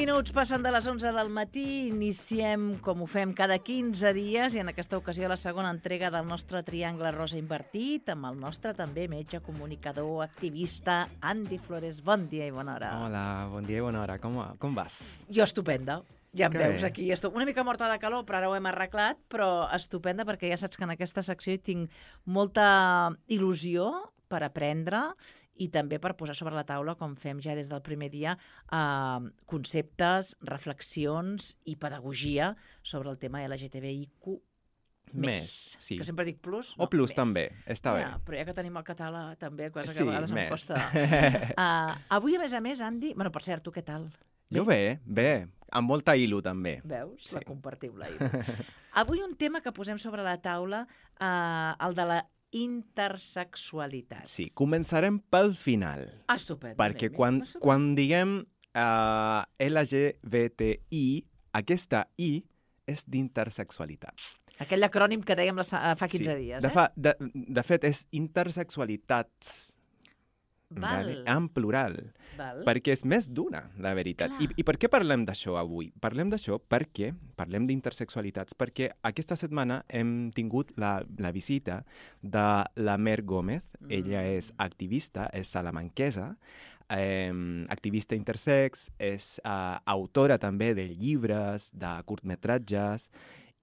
minuts passen de les 11 del matí, iniciem com ho fem cada 15 dies i en aquesta ocasió la segona entrega del nostre Triangle Rosa Invertit amb el nostre també metge, comunicador, activista, Andy Flores. Bon dia i bona hora. Hola, bon dia i bona hora. Com vas? Jo estupenda. Ja em Que veus bé. aquí. Estic una mica morta de calor, però ara ho hem arreglat, però estupenda perquè ja saps que en aquesta secció hi tinc molta il·lusió per aprendre i també per posar sobre la taula, com fem ja des del primer dia, conceptes, reflexions i pedagogia sobre el tema LGTBIQ+. Sí. Que sempre dic plus. O plus més. també, està bé. Però ja que tenim el català també, cosa que Sí, a vegades em més. costa. Avui, a més, Andy... Bueno, per cert, tu què tal? Jo bé, amb molta il·lu també. Veus? Sí. La compartim, la Avui un tema que posem sobre la taula, el de la intersexualitat. Sí, començarem pel final. Estupendo. Perquè anem-hi. quan diguem LGBTI, aquesta I és d'intersexualitat. Aquell acrònim que dèiem fa 15 dies, De fet, és intersexualitats. Val. En plural. Val. Perquè és més d'una, la veritat. Clar. I per què parlem d'això avui? Parlem d'això perquè parlem d'intersexualitats, perquè aquesta setmana hem tingut la visita de la Mer Gómez. Ella és activista, és salamanquesa, activista intersex, és autora també de llibres, de curtmetratges,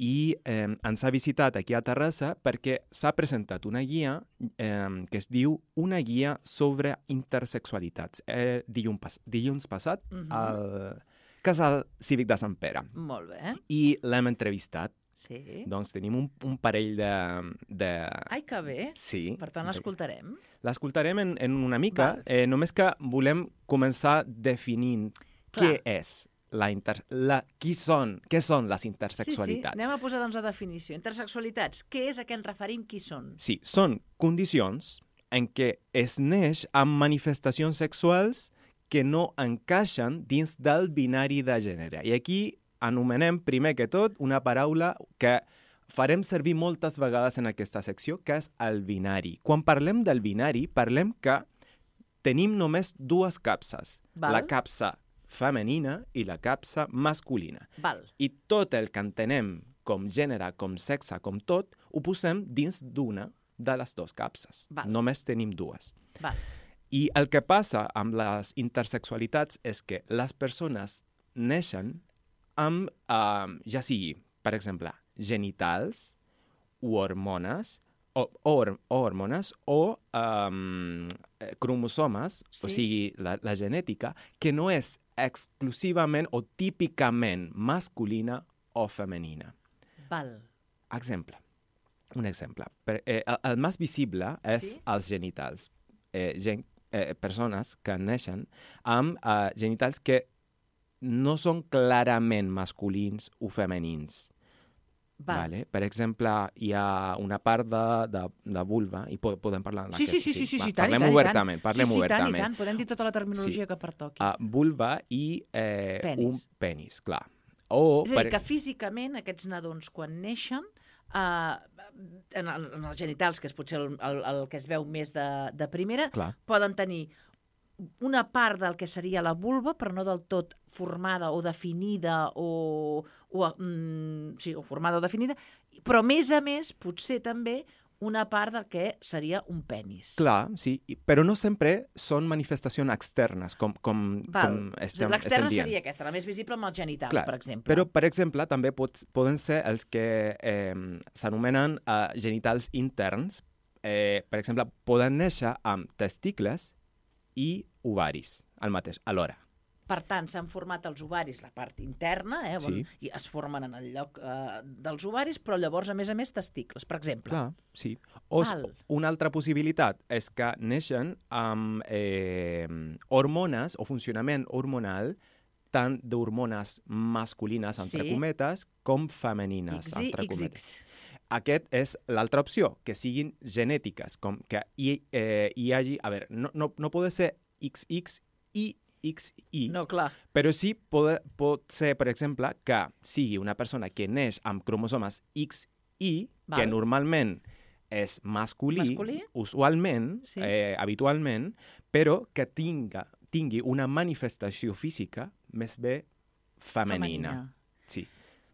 i ens ha visitat aquí a Terrassa perquè s'ha presentat una guia que es diu Una guia sobre intersexualitats. Dilluns passat al Casal Cívic de Sant Pere. Molt bé. I l'hem entrevistat. Sí. Doncs tenim un parell de... Ai, que bé. Sí. Per tant, l'escoltarem. L'escoltarem en una mica, només que volem començar definint què és què són les intersexualitats. Sí, anem a posar doncs la definició. Intersexualitats, què és a què ens referim, qui són? Sí, són condicions en què es neix amb manifestacions sexuals que no encaixen dins del binari de gènere. I aquí anomenem primer que tot una paraula que farem servir moltes vegades en aquesta secció, que és el binari. Quan parlem del binari, parlem que tenim només dues capses. Val. La capsa femenina i la capsa masculina. Val. I tot el que entenem com gènere, com sexe, com tot, ho posem dins d'una de les dues capses. Val. Només tenim dues. Val. I el que passa amb les intersexualitats és que les persones neixen amb, ja sigui, per exemple, genitals o hormones, o cromosomes, Sí. o sigui, la genètica, que no és exclusivament o típicament masculina o femenina. Val. Un exemple. El més visible és Sí? els genitals. Persones que neixen amb genitals que no són clarament masculins o femenins. Val. Vale? Per exemple, hi ha una part de vulva, i podem parlar Sí, tant, parlem obertament. Tant, i tant. Podem dir tota la terminologia que pertoqui. Vulva i Penis. un penis, clar. O, És a dir, que físicament aquests nadons, quan neixen, en els genitals, que és potser el que es veu més de primera, Clar. poden tenir una part del que seria la vulva, però no del tot formada o definida o formada o definida, però a més, potser també una part del que seria un penis. Clar, sí, però no sempre són manifestacions externes, com estem L'externa dient. seria aquesta, la més visible amb els genitals, Clar, per exemple. Però, per exemple, també poden ser els que s'anomenen genitals interns. Per exemple, poden néixer amb testicles i ovaris alhora. Per tant, s'han format els ovaris, la part interna, Sí. i es formen en el lloc dels ovaris, però llavors, a més, testicles, per exemple. Clar, sí. O Val. una altra possibilitat és que neixen amb hormones o funcionament hormonal tant d'hormones masculines, entre Sí. cometes, com femenines, XY, entre cometes. XX. Aquest és l'altra opció, que siguin genètiques, com que hi hagi... A veure, no pot ser XX i XY, No, clar. però sí pot ser, per exemple, que sigui una persona que neix amb cromosomes XY, Val. que normalment és masculí? Usualment, Sí. habitualment, però que tingui una manifestació física més bé femenina. Sí.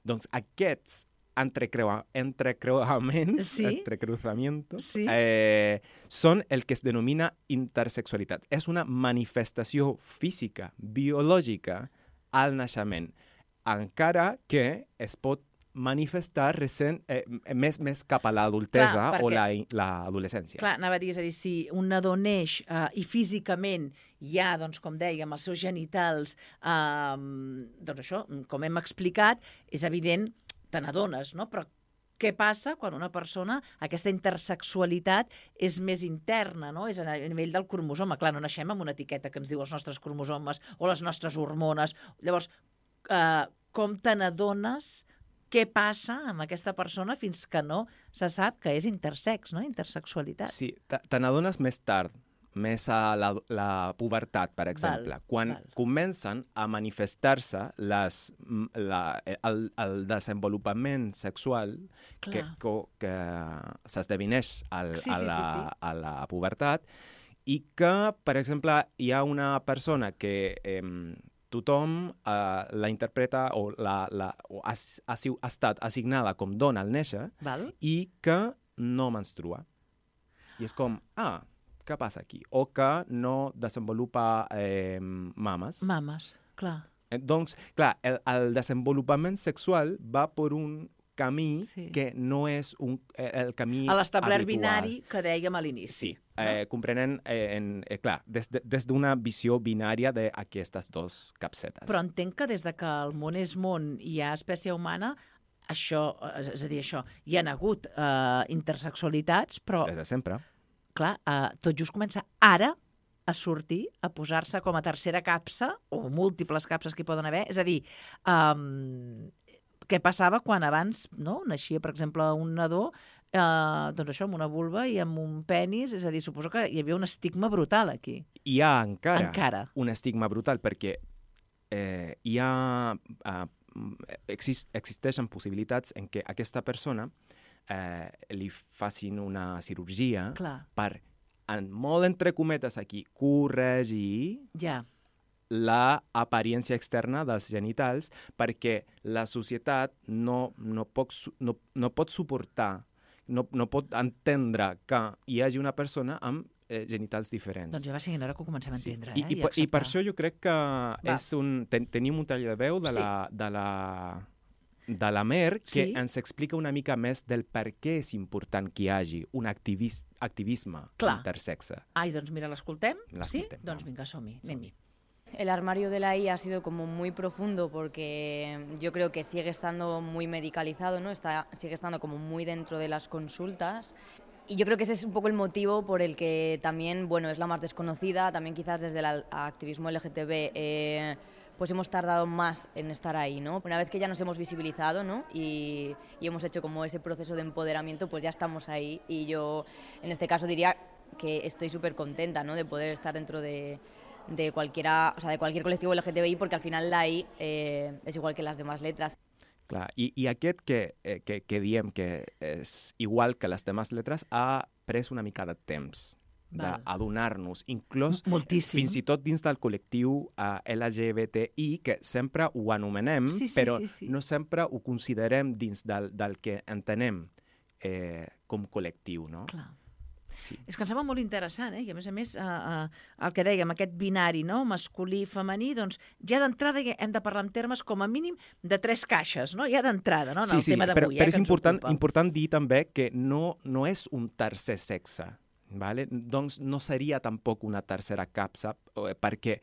Doncs aquests entrecreuaments, són el que es denomina intersexualitat. És una manifestació física, biològica, al naixement, encara que es pot manifestar més cap a l'adultesa o l'adolescència. Clar, anava a dir, és a dir, si un nadó neix i físicament hi ha, doncs, com dèiem, els seus genitals, doncs això, com hem explicat, és evident, te n'adones, no? Però què passa quan una persona, aquesta intersexualitat és més interna, no? És a nivell del cromosoma. Clar, no naixem amb una etiqueta que ens diu els nostres cromosomes o les nostres hormones. Llavors, com te n'adones què passa amb aquesta persona fins que no se sap que és intersex, no? Intersexualitat. Sí, te n'adones més tard, més a la pubertat, per exemple, quan comencen a manifestar-se el desenvolupament sexual que s'esdeveneix a la pubertat i que, per exemple, hi ha una persona que tothom la interpreta o ha estat assignada com dona al néixer i que no menstrua. I és com, què passa aquí? O que no desenvolupa mames. Mames, clar. Doncs, clar, el desenvolupament sexual va per un camí que no és el camí habitual. A l'establert binari que dèiem a l'inici. Sí, comprenent, clar, des d'una visió binària d'aquestes dos capsetes. Però entenc que des de que el món és món i hi ha espècie humana, això, és a dir, hi ha hagut intersexualitats, però... Des de sempre. Clar, tot just comença ara a sortir, a posar-se com a tercera capsa, o múltiples capses que hi poden haver. És a dir, què passava quan abans naixia, per exemple, un nadó, doncs això, amb una vulva i amb un penis, és a dir, suposo que hi havia un estigma brutal aquí. Hi ha encara un estigma brutal perquè existeixen possibilitats en què aquesta persona li facin una cirurgia per, molt entre cometes aquí, corregir l'apariència externa dels genitals perquè la societat no pot suportar, no pot entendre que hi hagi una persona amb genitals diferents. Doncs ja va sent hora que ho comencem a entendre. I per això jo crec que tenim un tall de veu de la Mer que ens explica una mica més del per què és important que hi hagi un activisme intersexe. Doncs mira, l'escoltem? Sí? Doncs vinga, som-hi, anem-hi. El armario de la I ha sido como muy profundo porque yo creo que sigue estando muy medicalizado, ¿no? Sigue estando como muy dentro de las consultas. Y yo creo que ese es un poco el motivo por el que también, es la más desconocida, también quizás desde el activismo LGTB, pues hemos tardado más en estar ahí, ¿no? Una vez que ya nos hemos visibilizado, ¿no? Y hemos hecho como ese proceso de empoderamiento, pues ya estamos ahí. Y yo, en este caso, diría que estoy súper contenta, ¿no? De poder estar dentro de cualquier colectivo LGTBI, porque al final la I es igual que las demás letras. Clar, i aquest que diem que és igual que les demás lletres ha pres una mica de temps d'adonar-nos, inclús fins i tot dins del col·lectiu LGBTI, que sempre ho anomenem, però no sempre ho considerem dins del que entenem com col·lectiu, no? Clar. Sí. És que em sembla molt interessant, i a més, el que dèiem, aquest binari, no? Masculí, femení, doncs ja d'entrada hem de parlar en termes com a mínim de 3 caixes, no? Ja d'entrada, no? En el tema d'avui, però és important dir també que no és un tercer sexe, ¿vale? Doncs no seria tampoc una tercera capsa, perquè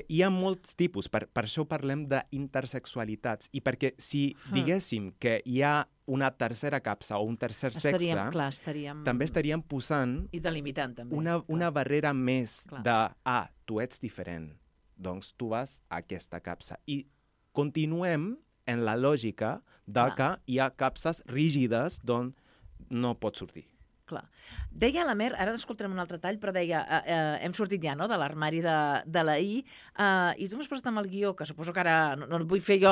hi ha molts tipus, per això parlem d'intersexualitats, i perquè si diguéssim que hi ha una tercera capsa o un tercer sexe, també estaríem posant i delimitant, també, una barrera més de, tu ets diferent, doncs tu vas a aquesta capsa. I continuem en la lògica de que hi ha capses rígides d'on no pots sortir. Clar. Deia la Mer, ara escoltarem un altre tall, però deia, hem sortit ja, no?, de l'armari de la I, i tu m'has posat amb el guió, que suposo que ara no vull fer jo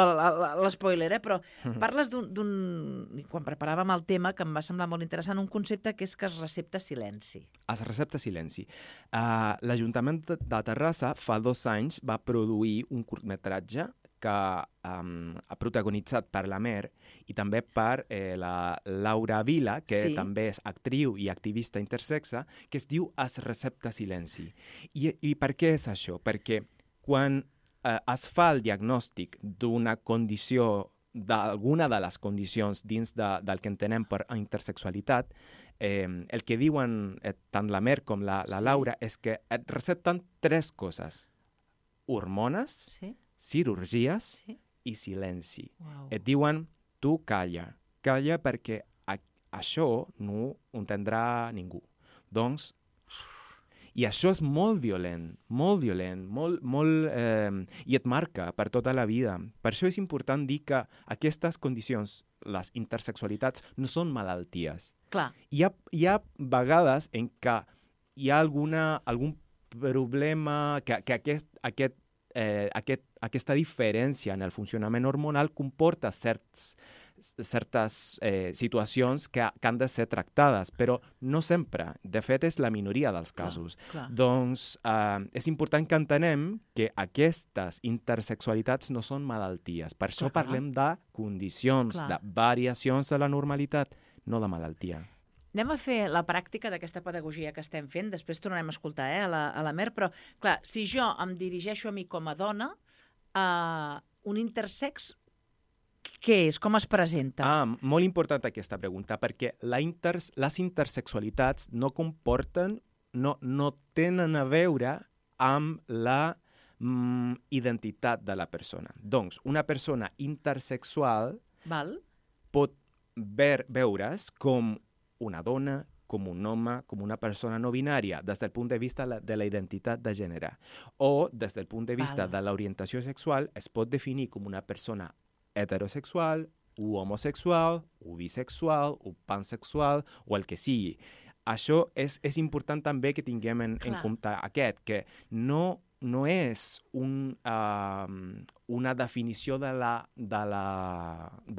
l'espoiler, però parles quan preparàvem el tema, que em va semblar molt interessant, un concepte que és que es recepta silenci. Es recepta silenci. L'Ajuntament de Terrassa fa 2 anys va produir un curtmetratge que protagonitzat per la Mer i també per la Laura Vila, que Sí. també és actriu i activista intersexe, que es diu Es recepta silenci. I per què és això? Perquè quan es fa el diagnòstic d'una condició, d'alguna de les condicions dins del que entenem per intersexualitat, el que diuen tant la Mer com la Sí. Laura és que et recepten 3 coses. Hormones, Sí? cirurgies Sí? i silenci. Uau. Et diuen, tu calla perquè això no ho entendrà ningú. Doncs, i això és molt violent, molt, i et marca per tota la vida. Per això és important dir que aquestes condicions, les intersexualitats, no són malalties. Clar, Hi ha vegades en què hi ha algun problema, que aquesta diferència en el funcionament hormonal comporta certes situacions que han de ser tractades, però no sempre. De fet, és la minoria dels casos. clar. Doncs és important que entenem que aquestes intersexualitats no són malalties. Per això Clar. parlem de condicions, Clar. de variacions de la normalitat, no de malaltia. Anem a fer la pràctica d'aquesta pedagogia que estem fent, després tornarem a escoltar a la Mer, però, clar, si jo em dirigeixo a mi com a dona, un intersex, què és? Com es presenta? Molt important aquesta pregunta, perquè les intersexualitats no comporten, no tenen a veure amb la identitat de la persona. Doncs, una persona intersexual Val? pot veure's com una dona, com un home, com una persona no binària, des del punt de vista de la identitat de gènere. O, des del punt de vista Val. de l'orientació sexual, es pot definir com una persona heterosexual, o homosexual, o bisexual, o pansexual, o el que sigui. Això és important també que tinguem en Clar. compte que no és una definició de la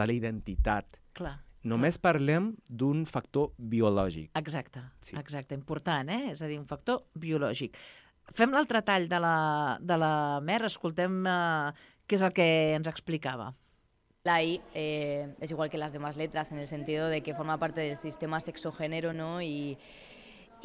identitat. Clar. Només parlem d'un factor biològic. Exacte, Sí. exacte. Important, eh? És a dir, un factor biològic. Fem l'altre tall de la Mer, escoltem què és el que ens explicava. La I es igual que las demás letras en el sentido de que forma parte del sistema sexo-género, ¿no? Y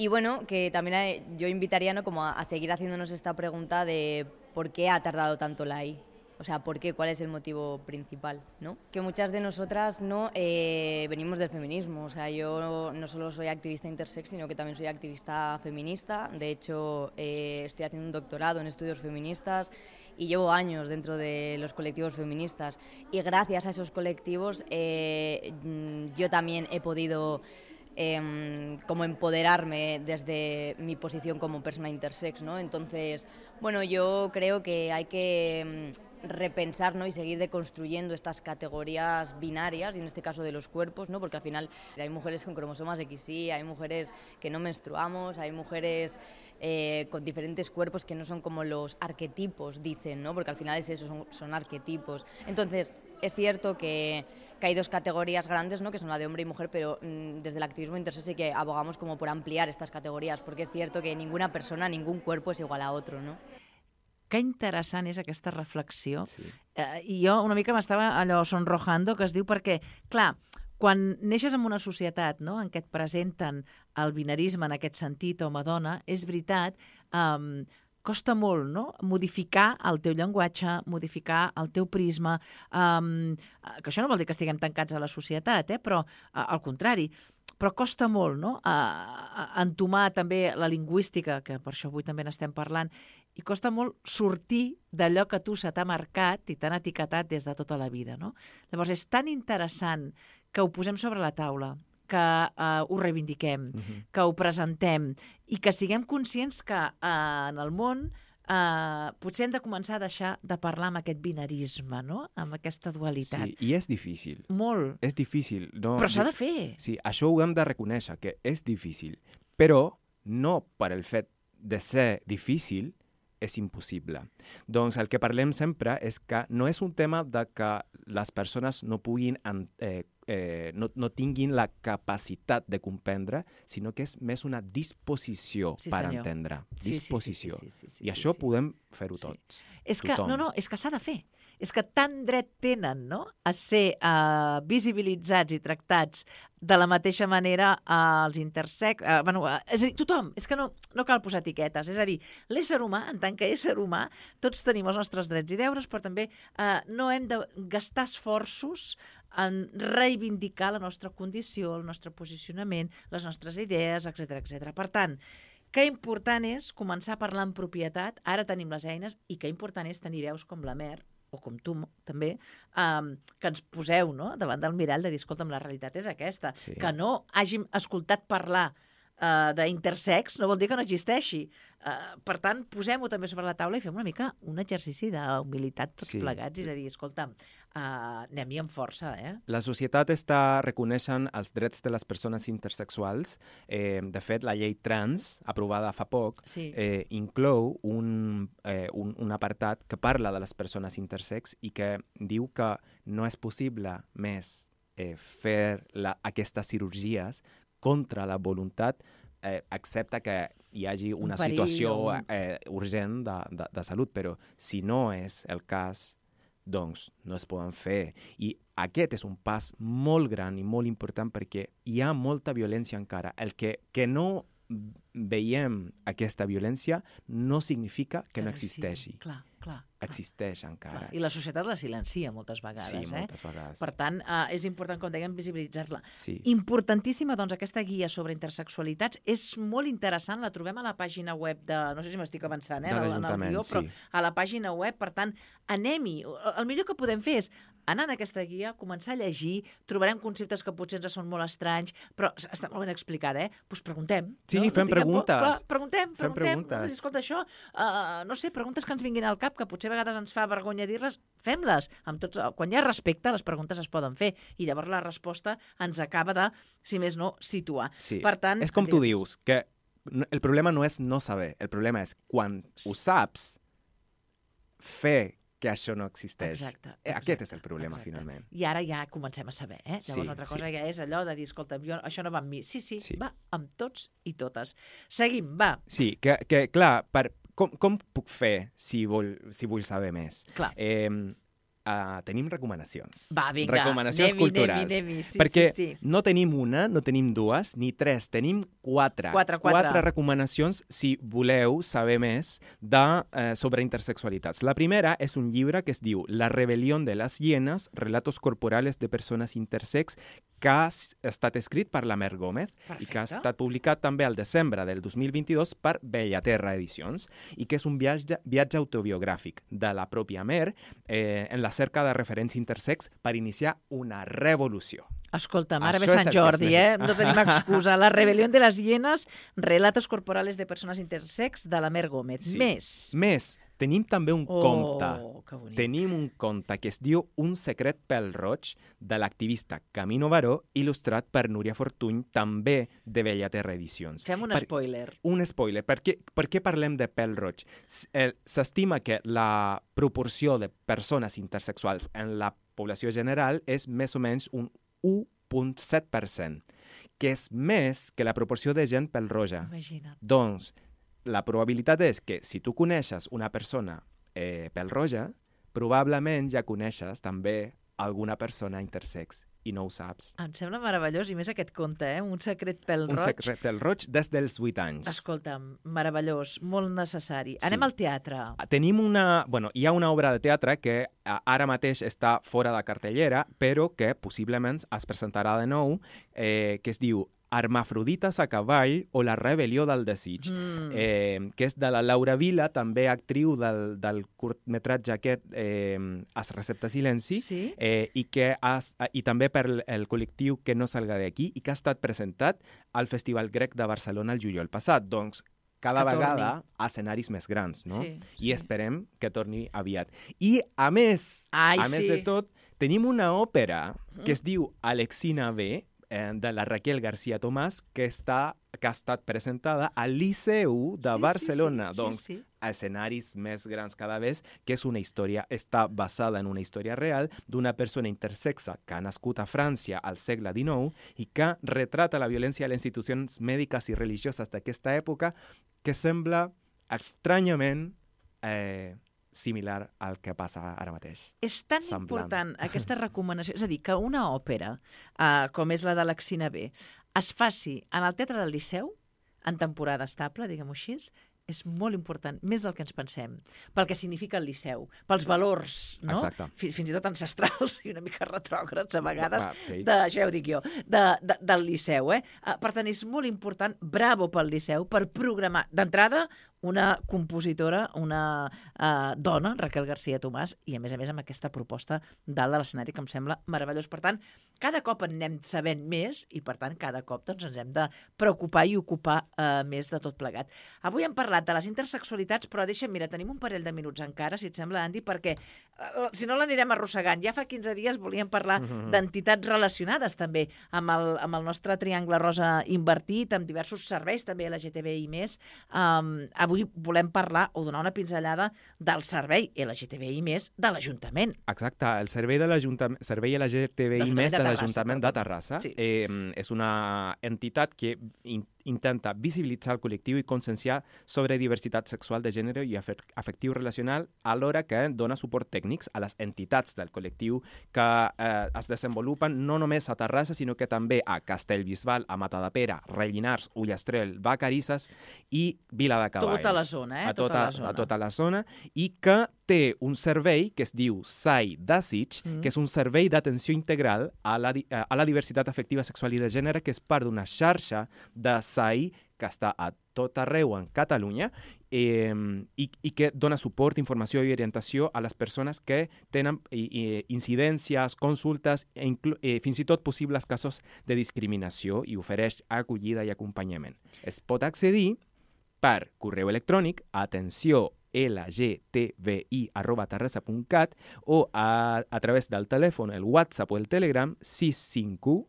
bueno, que también yo invitaría, ¿no?, como a seguir haciéndonos esta pregunta de por qué ha tardado tanto la I. O sea, ¿por qué? ¿Cuál es el motivo principal? ¿No? Que muchas de nosotras no venimos del feminismo. O sea, yo no solo soy activista intersex, sino que también soy activista feminista. De hecho, estoy haciendo un doctorado en estudios feministas y llevo años dentro de los colectivos feministas. Y gracias a esos colectivos yo también he podido como empoderarme desde mi posición como persona intersex, ¿no? Entonces, bueno, yo creo que hay que repensar, ¿no?, y seguir deconstruyendo estas categorías binarias, y en este caso de los cuerpos, ¿no?, porque al final hay mujeres con cromosomas XY, hay mujeres que no menstruamos, hay mujeres con diferentes cuerpos que no son como los arquetipos, dicen, ¿no?, porque al final es eso, son arquetipos. Entonces, es cierto que hay dos categorías grandes, ¿no?, que son la de hombre y mujer, pero desde el activismo intersex sí que abogamos como por ampliar estas categorías, porque es cierto que ninguna persona, ningún cuerpo es igual a otro, ¿no? Que interessant és aquesta reflexió. Sí. I jo una mica m'estava allò sonrojando, que es diu perquè, clar, quan neixes en una societat, no?, en què et presenten el binarisme en aquest sentit, home-dona, és veritat, costa molt, no?, modificar el teu llenguatge, modificar el teu prisma, que això no vol dir que estiguem tancats a la societat, però al contrari, però costa molt, no?, entomar també la lingüística, que per això avui també n'estem parlant, i costa molt sortir d'allò que tu se t'ha marcat i t'han etiquetat des de tota la vida, no? Llavors, és tan interessant que ho posem sobre la taula, que ho reivindiquem, que ho presentem i que siguem conscients que en el món potser hem de començar a deixar de parlar amb aquest binarisme, no?, amb aquesta dualitat. Sí, i és difícil. Molt. És difícil. No, Però s'ha de fer. Sí, això ho hem de reconèixer, que és difícil. Però no per el fet de ser difícil és impossible. Doncs el que parlem sempre és que no és un tema de que les persones no puguin no tinguin la capacitat de comprendre, sinó que és més una disposició per entendre. Disposició. I això podem fer-ho tots. És que, és que s'ha de fer. És que tant dret tenen, no?, a ser visibilitzats i tractats de la mateixa manera als intersex... és a dir, tothom, és que no cal posar etiquetes. És a dir, l'ésser humà, en tant que ésser humà, tots tenim els nostres drets i deures, però també no hem de gastar esforços en reivindicar la nostra condició, el nostre posicionament, les nostres idees, etc etc. Per tant, que important és començar a parlar en propietat, ara tenim les eines, i que important és tenir veus com la Mer, o com tu també, que ens poseu, no?, davant del mirall de dir, escolta'm, la realitat és aquesta. Sí. Que no hàgim escoltat parlar d'intersex no vol dir que no existeixi. Per tant, posem-ho també sobre la taula i fem una mica un exercici d'humilitat tots plegats i de dir, escolta'm, anem-hi amb força, La societat està reconeixent els drets de les persones intersexuals. De fet, la llei trans, aprovada fa poc, inclou un apartat que parla de les persones intersex i que diu que no és possible més fer aquestes cirurgies contra la voluntat, excepte que hi hagi una situació urgent de salut, però si no és el cas, doncs no es poden fer. I aquest és un pas molt gran i molt important perquè hi ha molta violència encara. El que no veiem aquesta violència no significa que no existeixi. Clar. Existeix encara. I la societat la silencia moltes vegades. Sí, moltes vegades. Per tant, és important, com dèiem, visibilitzar-la. Sí. Importantíssima, doncs, aquesta guia sobre intersexualitats. És molt interessant, la trobem a la pàgina web de... No sé si m'estic avançant, de l'Ajuntament, però a la pàgina web, per tant, anem-hi. El millor que podem fer és anar en aquesta guia, començar a llegir, trobarem conceptes que potser ens són molt estranys, però està molt ben explicada, Doncs preguntem. Sí, fem preguntes. Preguntem. Escolta, això, no sé, preguntes que ens vinguin al cap, que potser a vegades ens fa vergonya dir-les, fem-les. Quan hi ha respecte, les preguntes es poden fer i llavors la resposta ens acaba de, si més no, situar. Sí. Per tant, és com tu dius, que el problema no és no saber, el problema és quan ho saps, fer que això no existeix. Exacte. Aquest és el problema, finalment. I ara ja comencem a saber, Llavors, l'altra cosa ja és allò de dir, escolta, això no va amb mi. Sí, va amb tots i totes. Seguim, va. Sí, que clar, com puc fer si vull saber més? Clar. Tenim recomanacions. Va, vinga. Recomanacions culturals. Sí, perquè sí. no tenim una, no tenim dues, ni tres, tenim quatre. Quatre recomanacions si voleu saber més sobre intersexualitats. La primera és un llibre que es diu La rebelión de las hienas, relatos corporales de persones intersex, que ha estat escrit per la Mer Gómez. Perfecte. I que ha estat publicat també al desembre del 2022 per Bellaterra Edicions, i que és un viatge autobiogràfic de la pròpia Mer en la cerca de referents intersex per iniciar una revolució. Escolta, ara ve Sant Jordi, no tenim excusa. La rebelión de las hienas, relatos corporales de persones intersex, de la Mer Gómez. Sí. Més. Tenim també un conte. Que bonic. Tenim un conte que es diu Un secret pel roig, de l'activista Camino Baró, il·lustrat per Núria Fortuny, també de Bellaterra Edicions. Fem un spoiler. Un spoiler. Per què parlem de pèl roig? S'estima que la proporció de persones intersexuals en la població general és més o menys un 1,7%, que és més que la proporció de gent pèl-roja. Imagina't. Doncs, la probabilitat és que si tu coneixes una persona pèl-roja, probablement ja coneixes també alguna persona intersex i no ho saps. Em sembla meravellós, i més aquest conte, Un secret pèl roig. Un secret pèl roig des dels 8 anys. Escolta'm, meravellós, molt necessari. Anem al teatre. Tenim hi ha una obra de teatre que ara mateix està fora de cartellera, però que possiblement es presentarà de nou, que es diu Hermafrodites a cavall o la rebel·lió del desig, que és de la Laura Vila, també actriu del curtmetratge aquest Es recepta silenci, i també per el col·lectiu Que no salga d'aquí, i que ha estat presentat al Festival Grec de Barcelona el juliol passat. Doncs cada vegada a escenaris més grans, no? Sí. I esperem que torni aviat. I a més de tot, tenim una òpera que es diu Alexina B, de la Raquel García Tomàs, que està que ha estat presentada al Liceu de Barcelona. Sí. Doncs, a escenaris més grans cada vegada, que és una història, està basada en una història real d'una persona intersexa que ha nascut a França al segle XIX i que retrata la violència a les institucions mèdiques i religioses d'aquesta època, que sembla estranyament similar al que passa ara mateix. És tan important aquesta recomanació, és a dir, que una òpera, com és la de l'Axina B, es faci en el Teatre del Liceu, en temporada estable, diguem-ho així, és molt important, més del que ens pensem, pel que significa el Liceu, pels valors, no? Fins i tot ancestrals i una mica retrògrads a vegades, ja ho dic jo, del Liceu. Per tant, és molt important, bravo pel Liceu, per programar d'entrada una compositora, una dona, Raquel García Tomàs, i a més amb aquesta proposta dalt de l'escenari que em sembla meravellós. Per tant, cada cop en anem sabent més i, per tant, cada cop ens hem de preocupar i ocupar més de tot plegat. Avui hem parlat de les intersexualitats, però deixa'm, mira, tenim un parell de minuts encara, si et sembla, Andy, perquè si no l'anirem arrossegant. Ja fa 15 dies volíem parlar d'entitats relacionades també amb el nostre triangle rosa invertit, amb diversos serveis, també LGTBI+. Avui volem parlar o donar una pinzellada del servei LGTBI+ de l'Ajuntament. Exacte, el servei LGTBI+ de l'Ajuntament de Terrassa és una entitat que intenta visibilitzar el col·lectiu i conscienciar sobre diversitat sexual de gènere i afectiu relacional, alhora que dona suport tècnics a les entitats del col·lectiu que es desenvolupen no només a Terrassa, sinó que també a Castellbisbal, a Matadepera, Rellinars, Ullastrell, Vacarisses i Vila de Cavalls. Tota la zona, a tota la zona, i que té un servei que es diu SAI Desig, que és un servei d'atenció integral a la diversitat afectiva sexual i de gènere, que és part d'una xarxa de SAI que està a tot arreu en Catalunya i que dona suport, informació i orientació a les persones que tenen incidències, consultes i fins i tot possibles casos de discriminació i ofereix acollida i acompanyament. Es pot accedir per correu electrònic a atenció@lgtbi.terrassa.cat o a través del telèfon, el WhatsApp o el Telegram 651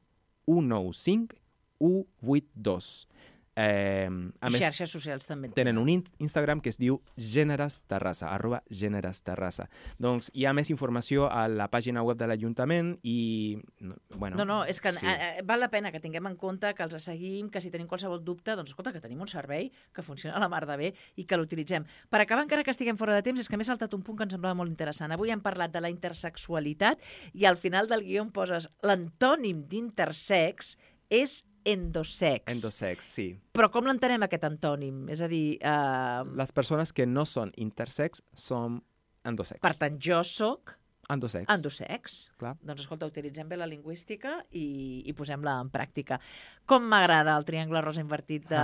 195 182. A més, xarxes socials també tenen un Instagram que es diu @generesterrassa. Doncs hi ha més informació a la pàgina web de l'Ajuntament i... No, és que val la pena que tinguem en compte, que els seguim, que si tenim qualsevol dubte, doncs escolta, que tenim un servei que funciona a la mar de bé i que l'utilitzem. Per acabar, encara que estiguem fora de temps, és que m'he saltat un punt que em semblava molt interessant. Avui hem parlat de la intersexualitat i al final del guió em poses l'antònim d'intersex és endosex. Endosex, sí. Però com l'entenem, aquest antònim? És a dir... Les persones que no són intersex són endosex. Per tant, jo soc... Endosex. Endosex. Clar. Doncs escolta, utilitzem bé la lingüística i posem-la en pràctica. Com m'agrada el triangle rosa invertit de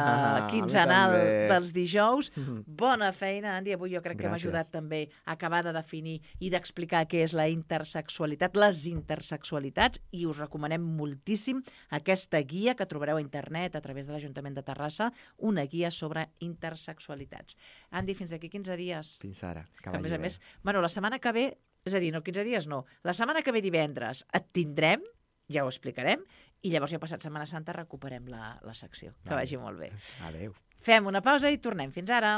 quinzenal dels dijous. Bona feina, Andy. Avui jo crec que hem ajudat també a acabar de definir i d'explicar què és la intersexualitat, les intersexualitats, i us recomanem moltíssim aquesta guia que trobareu a internet a través de l'Ajuntament de Terrassa, una guia sobre intersexualitats. Andy, fins d'aquí 15 dies. Fins ara. Que a més, la setmana que ve, és a dir, no 15 dies no, la setmana que ve divendres et tindrem, ja ho explicarem, i llavors ja passat Setmana Santa recuperem la secció. Que vagi molt bé. Adéu. Fem una pausa i tornem. Fins ara.